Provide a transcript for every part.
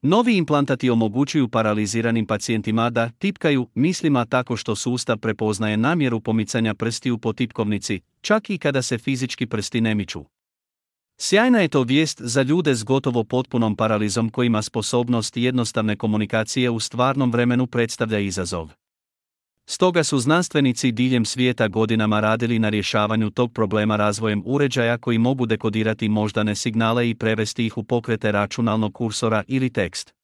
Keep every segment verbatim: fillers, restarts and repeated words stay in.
Novi implantati omogućuju paraliziranim pacijentima da tipkaju mislima tako što sustav prepoznaje namjeru pomicanja prstiju po tipkovnici, čak i kada se fizički prsti ne miču. Sjajna je to vijest za ljude s gotovo potpunom paralizom kojima sposobnost jednostavne komunikacije u stvarnom vremenu predstavlja izazov. Stoga su znanstvenici diljem svijeta godinama radili na rješavanju tog problema razvojem uređaja koji mogu dekodirati moždane signale i prevesti ih u pokrete računalnog kursora ili tekst.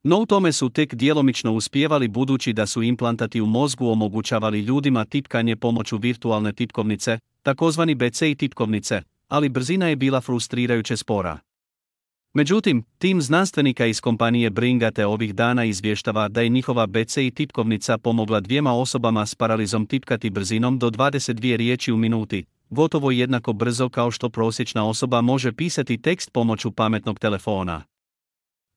No u tome su tek djelomično uspijevali budući da su implantati u mozgu omogućavali ljudima tipkanje pomoću virtualne tipkovnice, takozvani B C I tipkovnice, ali brzina je bila frustrirajuće spora. Međutim, tim znanstvenika iz kompanije Bringate ovih dana izvještava da je njihova B C I tipkovnica pomogla dvijema osobama s paralizom tipkati brzinom do dvadeset dvije riječi u minuti, gotovo jednako brzo kao što prosječna osoba može pisati tekst pomoću pametnog telefona.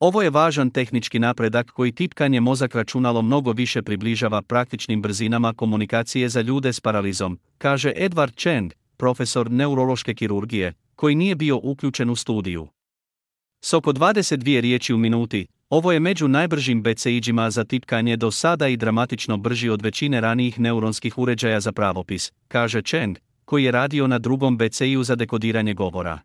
Ovo je važan tehnički napredak koji tipkanje mozak računalo mnogo više približava praktičnim brzinama komunikacije za ljude s paralizom, kaže Edward Cheng, profesor neurološke kirurgije, koji nije bio uključen u studiju. S oko dvadeset dvije riječi u minuti, ovo je među najbržim B C I-đima za tipkanje do sada i dramatično brži od većine ranijih neuronskih uređaja za pravopis, kaže Cheng, koji je radio na drugom B C I-u za dekodiranje govora.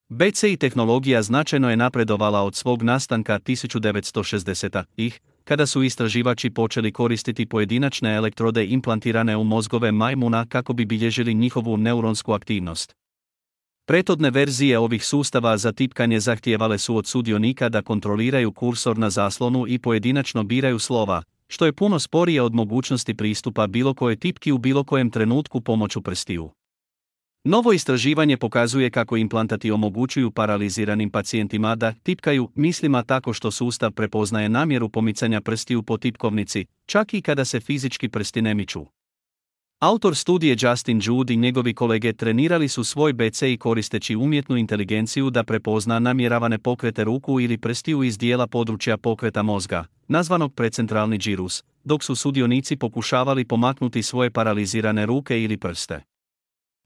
B C I tehnologija značajno je napredovala od svog nastanka tisuću devetsto šezdesetih, kada su istraživači počeli koristiti pojedinačne elektrode implantirane u mozgove majmuna kako bi bilježili njihovu neuronsku aktivnost. Prethodne verzije ovih sustava za tipkanje zahtijevale su od sudionika da kontroliraju kursor na zaslonu i pojedinačno biraju slova, što je puno sporije od mogućnosti pristupa bilo koje tipki u bilo kojem trenutku pomoću prstiju. Novo istraživanje pokazuje kako implantati omogućuju paraliziranim pacijentima da tipkaju mislima tako što sustav prepoznaje namjeru pomicanja prstiju po tipkovnici, čak i kada se fizički prsti ne miču. Autor studije Justin Jude i njegovi kolege trenirali su svoj B C I koristeći umjetnu inteligenciju da prepozna namjeravane pokrete ruku ili prstiju iz dijela područja pokreta mozga, nazvanog precentralni girus, dok su sudionici pokušavali pomaknuti svoje paralizirane ruke ili prste.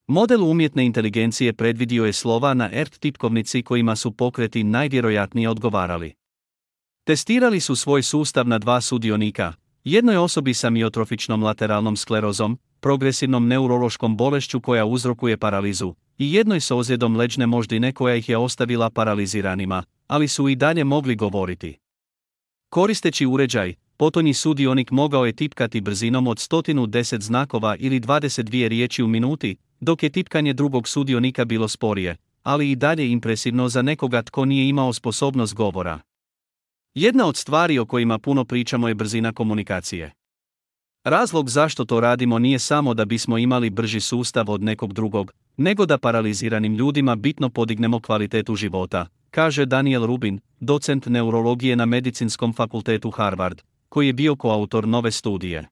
Model umjetne inteligencije predvidio je slova na E R T tipkovnici kojima su pokreti najvjerojatnije odgovarali. Testirali su svoj sustav na dva sudionika, jednoj osobi sa miotrofičnom lateralnom sklerozom, progresivnom neurološkom bolešću koja uzrokuje paralizu, i jednoj s ozljedom leđne moždine koja ih je ostavila paraliziranima, ali su i dalje mogli govoriti. Koristeći uređaj, potonji sudionik mogao je tipkati brzinom od sto deset znakova ili dvadeset dvije riječi u minuti, dok je tipkanje drugog sudionika bilo sporije, ali i dalje impresivno za nekoga tko nije imao sposobnost govora. Jedna od stvari o kojima puno pričamo je brzina komunikacije. Razlog zašto to radimo nije samo da bismo imali brži sustav od nekog drugog, nego da paraliziranim ljudima bitno podignemo kvalitetu života, kaže Daniel Rubin, docent neurologije na Medicinskom fakultetu Harvard, koji je bio koautor nove studije.